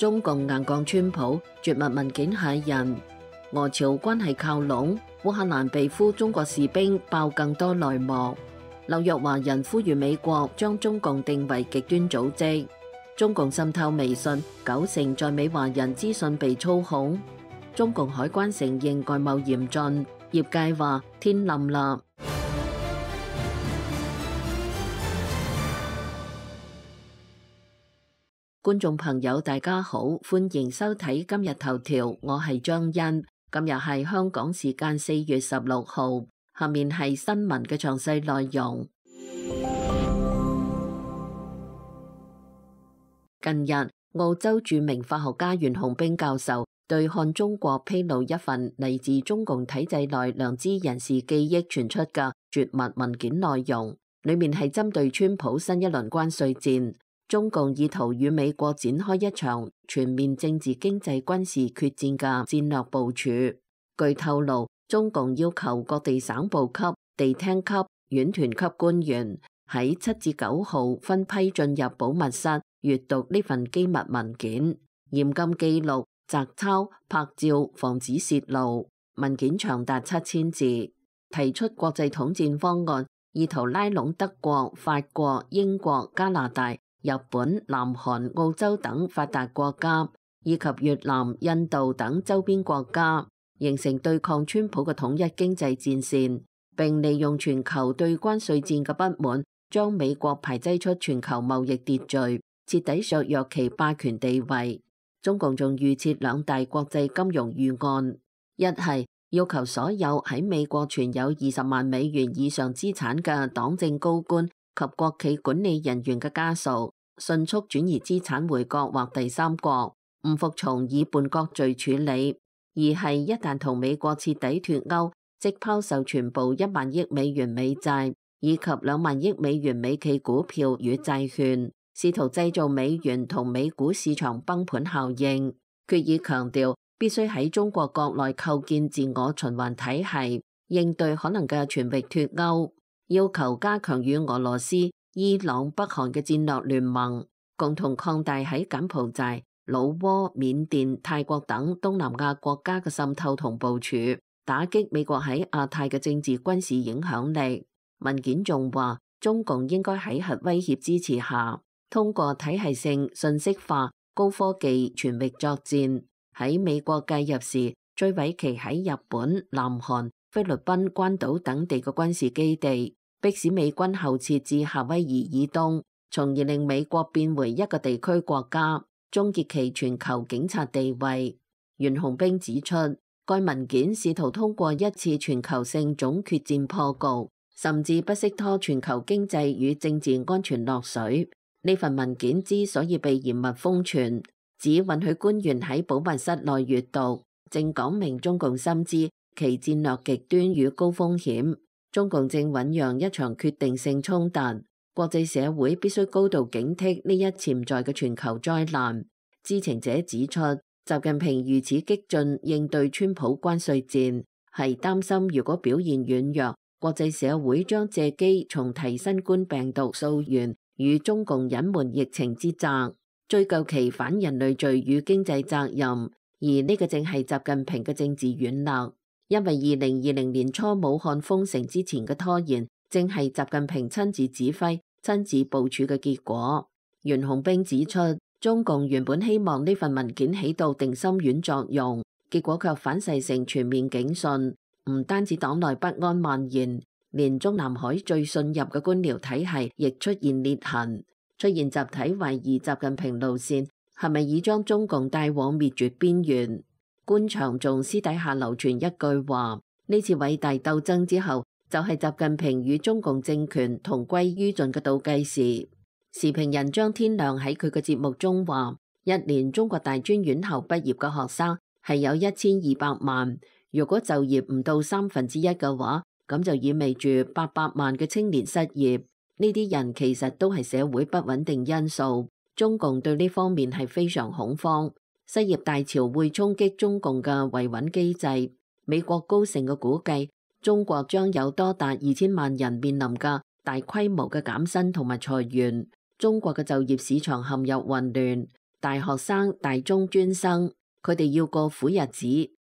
中共硬降川普，絕密文件駭人。俄朝關係靠攏，烏克蘭被俘中國士兵爆更多內幕。紐約華人呼籲美國將中共定為極端組織。中共滲透微信，90%在美華人資訊被操控。中共海關承認外貿嚴峻，業界話天冧啦。觀眾朋友大家好，歡迎收睇今日頭條，我係張欣。今日係香港時間4月16號，下面係新聞嘅詳細內容。近日，澳洲著名法學家袁洪兵教授對看中國披露一份嚟自中共體制內良知人士記憶傳出嘅絕密文件內容，裡面係針對川普新一輪關稅戰。中共意圖與美國展開一場全面政治、經濟、軍事決戰嘅戰略部署。據透露，中共要求各地省部級、地廳級、院團級官員喺7至9號分批進入保密室閱讀呢份機密文件，嚴禁記錄、摘抄、拍照，防止洩露。文件長達7000字，提出國際統戰方案，意圖拉攏德國、法國、英國、加拿大、日本、南韓、澳洲等發達國家，以及越南、印度等周邊國家，形成對抗川普嘅統一經濟戰線，並利用全球對關稅戰嘅不滿，將美國排擠出全球貿易秩序，徹底削弱其霸權地位。中共仲預設2大國際金融預案，一係要求所有喺美國存有20萬美元以上資產嘅黨政高官及國企管理人員嘅家屬，迅速轉移資產回國或第三國，唔服從以叛國罪處理；二係一旦同美國徹底脫鈎，即拋售全部1萬億美元美債以及2萬億美元美企股票與債券，試圖製造美元同美股市場崩盤效應。決議強調，必須喺中國國內構建自我循環體系，應對可能嘅全域脫鈎。要求加強與俄羅斯、伊朗、北韓嘅戰略聯盟，共同擴大喺柬埔寨、老撾、緬甸、泰國等東南亞國家嘅滲透同部署，打擊美國喺亞太嘅政治軍事影響力。文件仲話，中共應該喺核威脅支持下，通過體系性信息化、高科技全域作戰，喺美國介入時摧毀其喺日本、南韓、菲律賓、關島等地嘅軍事基地，迫使美軍後撤至夏威夷以東，從而令美國變回一個地區國家，終結其全球警察地位。袁洪兵指出，該文件試圖通過一次全球性總決戰破局，甚至不惜拖全球經濟與政治安全落水。呢份文件之所以被嚴密封存，只允許官員喺保密室內閱讀，正講明中共深知其戰略極端與高風險。中共正醞釀一場決定性衝突，國際社會必須高度警惕呢一潛在嘅全球災難。知情者指出，習近平如此激進應對川普關稅戰，係擔心如果表現軟弱，國際社會將借機重提新冠病毒溯源與中共隱瞞疫情之責，追究其反人類罪與經濟責任。而呢個正係習近平嘅政治軟肋。因為2020年初武漢封城之前嘅拖延，正係習近平親自指揮、親自部署嘅結果。袁洪兵指出，中共原本希望呢份文件起到定心丸作用，結果卻反噬成全面警訊。唔單止黨內不安蔓延，連中南海最信任嘅官僚體系亦出現裂痕，出現集體懷疑習近平路線係咪已將中共帶往滅絕邊緣。官場仲私底下流傳一句話，呢次偉大鬥爭之後，就係習近平與中共政權同歸於盡嘅倒計時。時評人張天亮喺佢嘅節目中話，一年中國大專院校畢業嘅學生係有1200萬，如果就業唔到1/3嘅話，咁就意味住800萬嘅青年失業。呢啲人其實都係社會不穩定因素，中共對呢方面係非常恐慌。失業大潮會衝擊中共嘅維穩機制。美國高盛嘅估計，中國將有多達2000萬人面臨嘅大規模嘅減薪同埋裁員。中國嘅就業市場陷入混亂，大學生、大中專生，佢哋要過苦日子。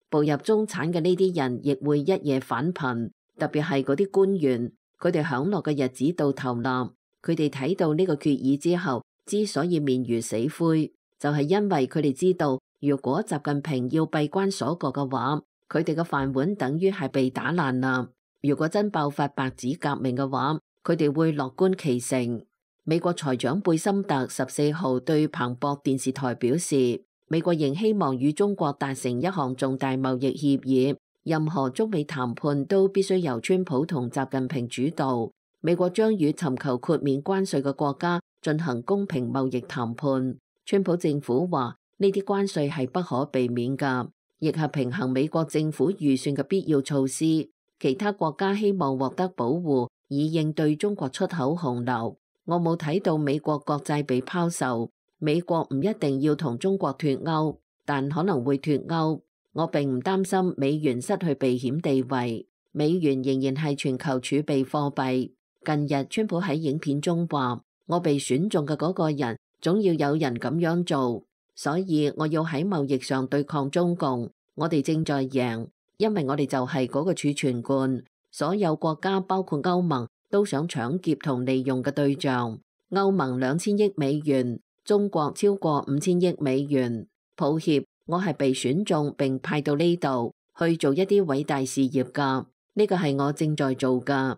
步入中產嘅呢啲人亦會一夜返貧，特別係嗰啲官員，佢哋享樂嘅日子到頭啦。佢哋睇到呢個決議之後，之所以面如死灰，就係因為佢哋知道，如果習近平要閉關鎖國嘅話，佢哋嘅飯碗等於係被打爛啦。如果真爆發白紙革命嘅話，佢哋會樂觀其成。美國財長貝森特14號對彭博電視台表示，美國仍希望與中國達成一項重大貿易協議，任何中美談判都必須由川普同習近平主導。美國將與尋求豁免關稅嘅國家進行公平貿易談判。川普政府話呢啲關稅係不可避免㗎，亦係平衡美國政府預算嘅必要措施。其他國家希望獲得保護，以應對中國出口洪流。我冇睇到美國國債被拋售。美國唔一定要同中國脫鈎，但可能會脫鈎。我並唔擔心美元失去避險地位，美元仍然係全球儲備貨幣。近日，川普喺影片中話：我被選中嘅嗰個人，總要有人咁樣做，所以我要喺貿易上對抗中共。我哋正在贏，因為我哋就係嗰個儲存罐。所有國家，包括歐盟，都想搶劫同利用嘅對象。歐盟2000億美元，中國超過5000億美元。抱歉，我係被選中並派到呢度去做一啲偉大事業㗎。呢個係我正在做㗎。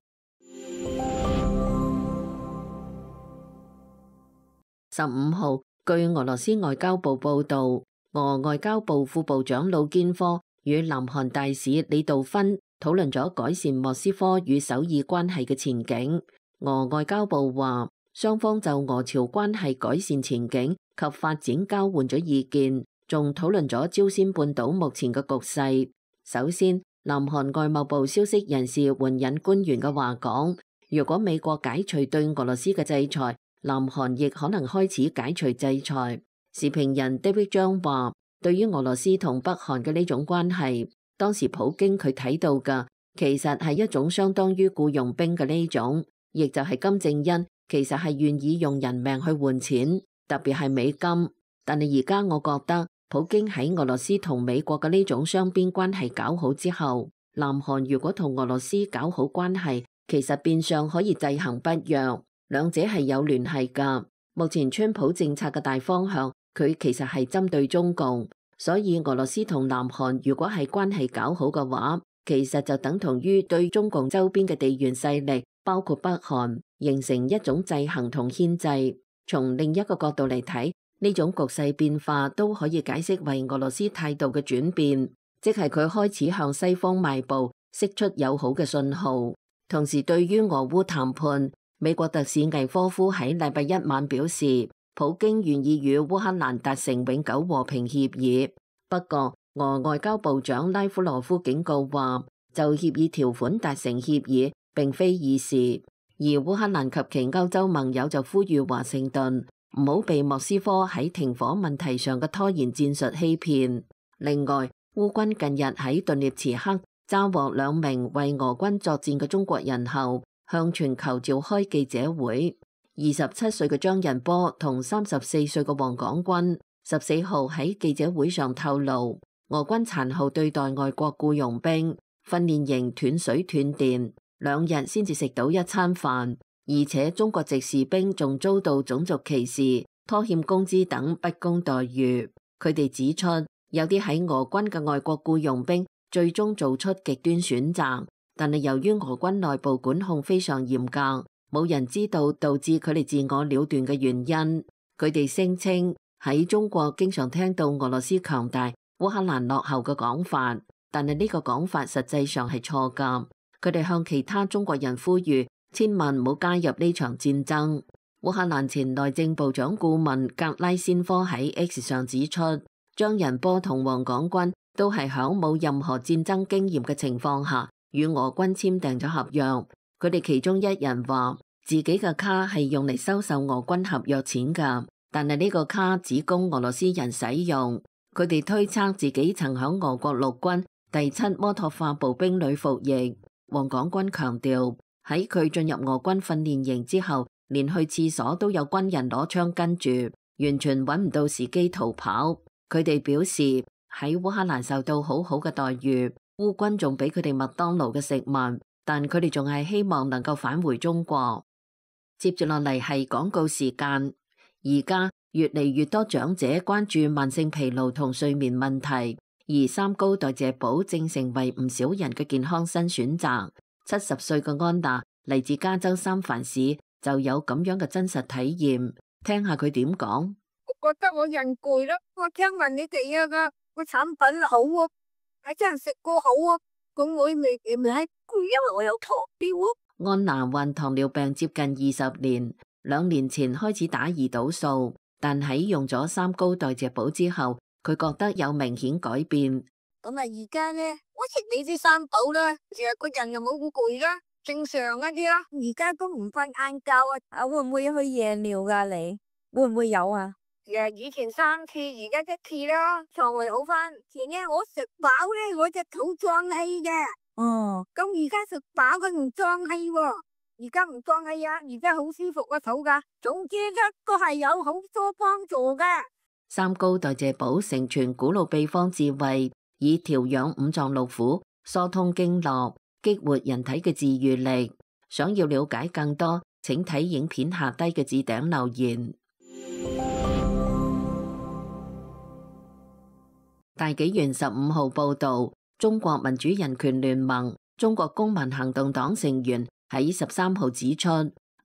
15號，據俄羅斯外交部報導，俄外交部副部長魯堅科與南韓大使李道勳討論咗改善莫斯科與首爾關係嘅前景。俄外交部話，雙方就俄朝關係改善前景及發展交換咗意見，仲討論咗朝鮮半島目前嘅局勢。首先，南韓外貿部消息人士援引官員嘅話講，如果美國解除對俄羅斯嘅制裁，南韓亦可能開始解除制裁。時評人 David 張話，對於俄羅斯同北韓嘅呢種關係，當時普京佢睇到嘅其實係一種相當於僱傭兵嘅呢種，亦就係金正恩其實係願意用人命去換錢，特別係美金。但係而家我覺得普京喺俄羅斯同美國嘅呢種雙邊關係搞好之後，南韓如果同俄羅斯搞好關係，其實變相可以制衡北約。兩者係有聯繫㗎。目前川普政策嘅大方向，佢其實係針對中共，所以俄羅斯同南韓如果係關係搞好嘅話，其實就等同於對中共周邊嘅地緣勢力，包括北韓，形成一種制衡同牽制。從另一個角度嚟睇，呢種局勢變化都可以解釋為俄羅斯態度嘅轉變，即係佢開始向西方邁步，釋出友好嘅信號。同時，對於俄烏談判，美國特使魏科夫喺禮拜一晚表示，普京願意與烏克蘭達成永久和平協議。不過，俄外交部長拉夫羅夫警告話，就協議條款達成協議並非易事。而烏克蘭及其歐洲盟友就呼籲華盛頓唔好被莫斯科喺停火問題上嘅拖延戰術欺騙。另外，烏軍近日喺頓涅茨克抓獲2名為俄軍作戰嘅中國人後，向全球召開記者會。27歲嘅張仁波同34歲嘅黃廣軍14號喺記者會上透露，俄軍殘酷對待外國僱傭兵，訓練營斷水斷電，2日先至食到一餐飯，而且中國籍士兵仲遭到種族歧視、拖欠工資等不公待遇。佢哋指出，有啲喺俄軍嘅外國僱傭兵最終做出極端選擇，但係由於俄軍內部管控非常嚴格，冇人知道導致佢哋自我了斷嘅原因。佢哋聲稱喺中國經常聽到俄羅斯強大、烏克蘭落後嘅講法，但係呢個講法實際上係錯㗎。佢哋向其他中國人呼籲，千萬唔好加入呢場戰爭。烏克蘭前內政部長顧問格拉先科喺 X 上指出，張仁波同黃廣軍都係響冇任何戰爭經驗嘅情況下與俄軍簽訂咗合約。佢哋其中一人話自己嘅卡係用嚟收受俄軍合約錢㗎，但係呢個卡只供俄羅斯人使用。佢哋推測自己曾響俄國陸軍第7摩托化步兵旅服役。黃廣軍強調，喺佢進入俄軍訓練營之後，連去廁所都有軍人攞槍跟住。完全揾唔到時機逃跑。佢哋表示喺烏克蘭受到好好嘅待遇，烏軍仲俾佢哋麥當勞嘅食物，但佢哋仲係希望能夠返回中國。接住落嚟係廣告時間。而家越嚟越多長者關注慢性疲勞同睡眠問題，而三高代謝寶正成為唔少人嘅健康新選擇。70歲嘅安娜嚟自加州三藩市，就有咁樣嘅真實體驗。聽下佢點講。我覺得我人攰咯，我聽聞你哋個產品好啊，係真係食過好啊，咁我未攰，因為我有糖尿啊。安娜患糖尿病接近20年，2年前開始打胰島素，但喺用咗三高代謝寶之後，佢覺得有明顯改變。咁啊，而家呢，我食你啲三寶啦，成日個人又冇咁攰啦，正常一啲啦。而家都唔瞓晏覺啊，會唔會去夜尿噶？你會唔會有啊？以前3次，而家1次啦，腸胃好翻。前呢，我食飽咧，我隻肚脹氣嘅。哦，咁而家食飽佢唔脹氣喎，而家唔脹氣啊，而家好舒服個肚噶。總之咧，都係有好多幫助嘅。三高代謝寶承傳古老秘方智慧，以調養五臟六腑、疏通經絡、激活人體嘅治癒力。想要了解更多，請睇影片下低嘅置頂留言。大紀元15號報道，中國民主人權聯盟、中國公民行動黨成員喺13號指出，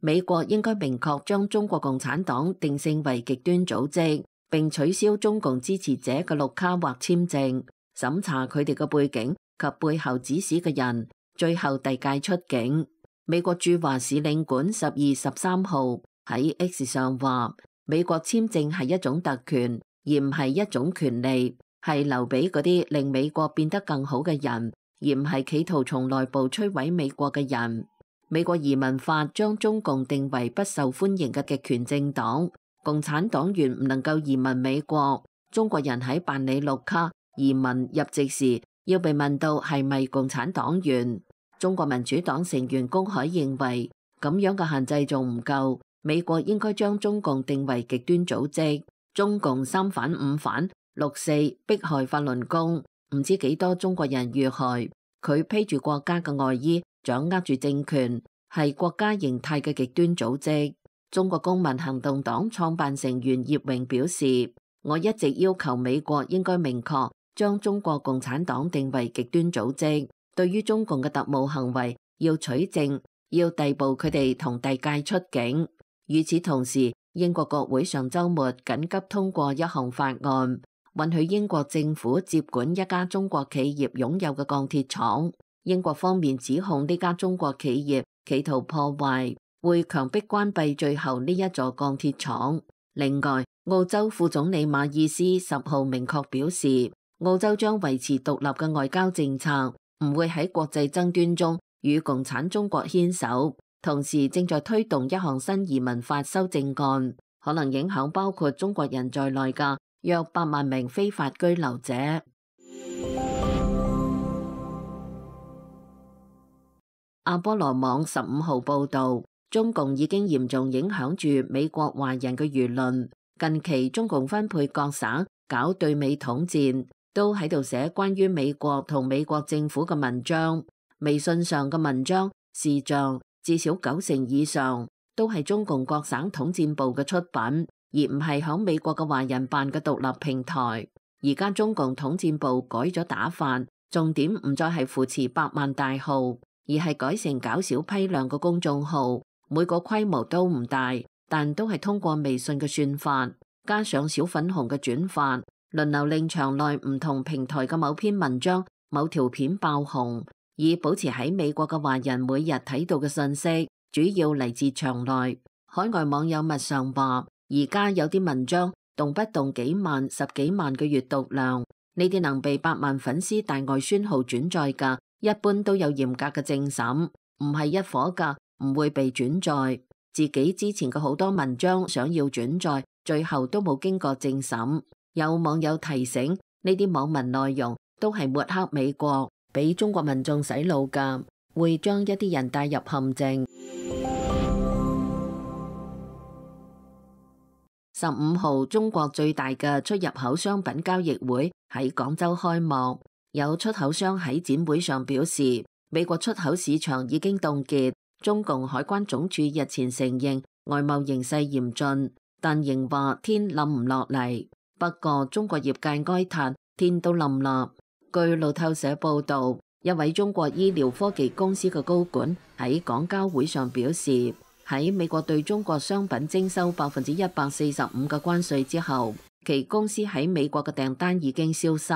美國應該明確將中國共產黨定性為極端組織，並取消中共支持者嘅綠卡或簽證，審查佢哋嘅背景及背後指使嘅人，最後遞解出境。美國駐華使領館12、13號喺 X 上話，美國簽證係一種特權，而唔係一種權利，係留俾嗰啲令美國變得更好嘅人，而唔係企圖從內部摧毀美國嘅人。美國移民法將中共定為不受歡迎嘅極權政黨，共產黨員唔能夠移民美國。中國人喺辦理綠卡、移民、入籍時，要被問到係咪共產黨員。中國民主黨成員公海認為，咁樣嘅限制仲唔夠，美國應該將中共定為極端組織。中共3反5反，6·4迫害法輪功，唔知幾多中國人遇害。佢披住國家嘅外衣，掌握住政權，係國家形態嘅極端組織。中國公民行動黨創辦成員葉榮表示，我一直要求美國應該明確將中國共產黨定為極端組織，對於中共嘅特務行為要取證，要逮捕佢哋同遞解出境。與此同時，英國國會上週末緊急通過一項法案，允許英國政府接管一家中國企業擁有嘅鋼鐵廠。英國方面指控呢家中國企業企圖破壞，會強迫關閉最後呢一座鋼鐵廠。另外，澳洲副總理馬爾斯10號明確表示，澳洲將維持獨立嘅外交政策，唔會喺國際爭端中與共產中國牽手。同時正在推動一項新移民法修正案，可能影響包括中國人在內嘅約8萬名非法居留者。阿波羅網15號報道，中共已經嚴重影響住美國華人嘅輿論。近期中共分配各省搞對美統戰，都喺度寫關於美國同美國政府嘅文章。微信上嘅文章視像至少90%以上都係中共各省統戰部嘅出品，而唔係響美國嘅華人辦嘅獨立平台。而家中共統戰部改咗打法，重點唔再係扶持百萬大號，而係改成搞小批量嘅公眾號，每個規模都唔大，但都係通過微信嘅算法，加上小粉紅嘅轉發，輪流令場內唔同平台嘅某篇文章、某條片爆紅。以保持喺美國嘅華人每日睇到嘅信息，主要嚟自場內。海外網友密上話，而家有啲文章動不動幾萬、10幾萬嘅閱讀量，呢啲能被百萬粉絲大外宣號轉載嘅，一般都有嚴格嘅政審，唔係一夥嘅，唔會被轉載。自己之前嘅好多文章想要轉載，最後都冇經過政審。有網友提醒，呢啲網民內容都係抹黑美國，俾中國民眾洗腦㗎，會將一啲人帶入陷阱。15號，中國最大嘅出入口商品交易會喺廣州開幕。有出口商喺展會上表示，美國出口市場已經凍結。中共海關總署日前承認外貿形勢嚴峻，但仍話天冧唔落嚟。不過中國業界哀嘆天都冧啦。據路透社報道，一位中國醫療科技公司嘅高管喺廣交會上表示，喺美國對中國商品徵收145%嘅關稅之後，其公司喺美國嘅訂單已經消失。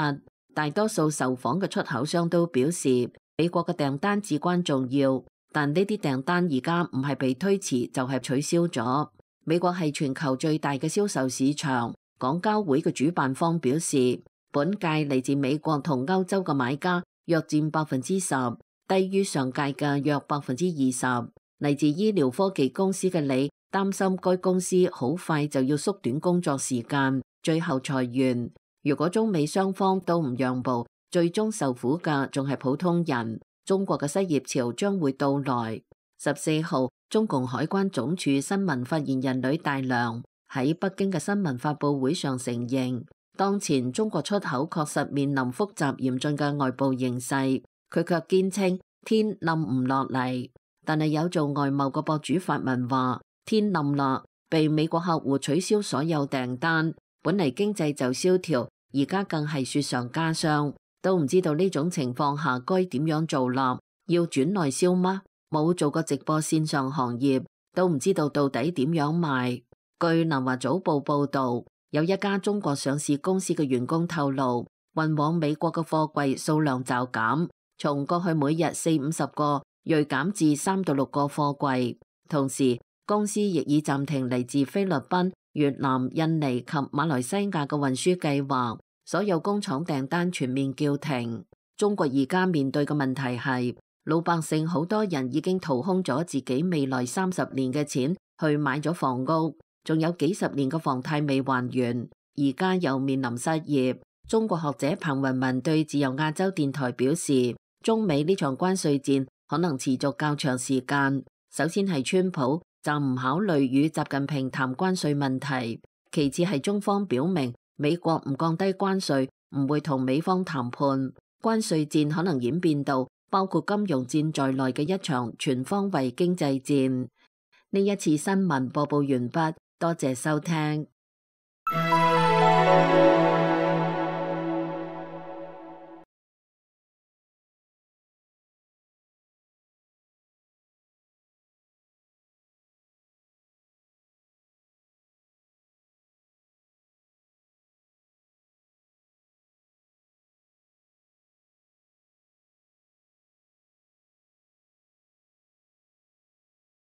大多數受訪嘅出口商都表示，美國嘅訂單至關重要，但呢啲訂單而家唔係被推遲就係取消咗。美國係全球最大嘅銷售市場。廣交會嘅主辦方表示，本屆嚟自美國同歐洲嘅買家約佔10%，低於上屆嘅約20%。嚟自醫療科技公司嘅李擔心該公司好快就要縮短工作時間，最後裁員。如果中美雙方都唔讓步，最終受苦嘅仲係普通人。中國嘅失業潮將會到來。14號，中共海關總署新聞發言人呂大良喺北京嘅新聞發佈會上承認，當前中國出口確實面臨複雜嚴峻嘅外部形勢。佢卻堅稱天冧唔落嚟。但係有做外貿嘅博主發文話，天冧啦，被美國客戶取消所有訂單，本嚟經濟就蕭條，而家更係雪上加霜，都唔知道呢種情況下該點樣做啦。要轉內銷嗎？冇做過直播線上行業，都唔知道到底點樣賣。據南華早報報道，有一家中國上市公司嘅員工透露，運往美國嘅貨櫃數量驟減，從過去每日40-50個銳減至3到6個貨櫃。同時，公司亦已暫停嚟自菲律賓、越南、印尼及馬來西亞嘅運輸計劃，所有工廠訂單全面叫停。中國而家面對嘅問題係，老百姓好多人已經掏空咗自己未來30年嘅錢去買咗房屋，仲有幾十年嘅房貸未還完，而家又面臨失業。中國學者彭雲文對自由亞洲電台表示，中美呢場關稅戰可能持續較長時間。首先係川普就唔考慮與習近平談關稅問題，其次係中方表明美國唔降低關稅，唔會同美方談判。關稅戰可能演變到包括金融戰在內嘅一場全方位經濟戰。呢一次新聞播報完畢，多謝收聽。